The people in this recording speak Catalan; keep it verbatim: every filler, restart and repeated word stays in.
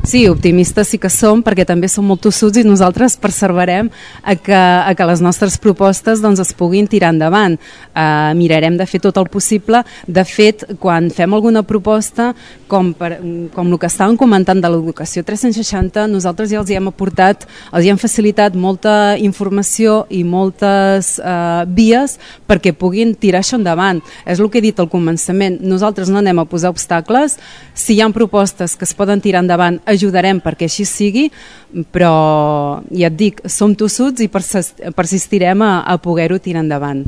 Sí, optimistes sí que som, perquè també som molt tossuts i nosaltres perseverem a que, a que les nostres propostes doncs, es puguin tirar endavant. Uh, mirarem de fer tot el possible. De fet, quan fem alguna proposta, com, per, com el que estàvem comentant de l'educació tres-cents seixanta, nosaltres ja els hi hem aportat, els hi hem facilitat molta informació i moltes uh, vies perquè puguin tirar això endavant. És el que he dit al començament. Nosaltres no anem a posar obstacles. Si hi ha propostes que es poden tirar endavant, ajudarem perquè així sigui, però ja et dic, som tossuts i persistirem a, a poder-ho tirar endavant.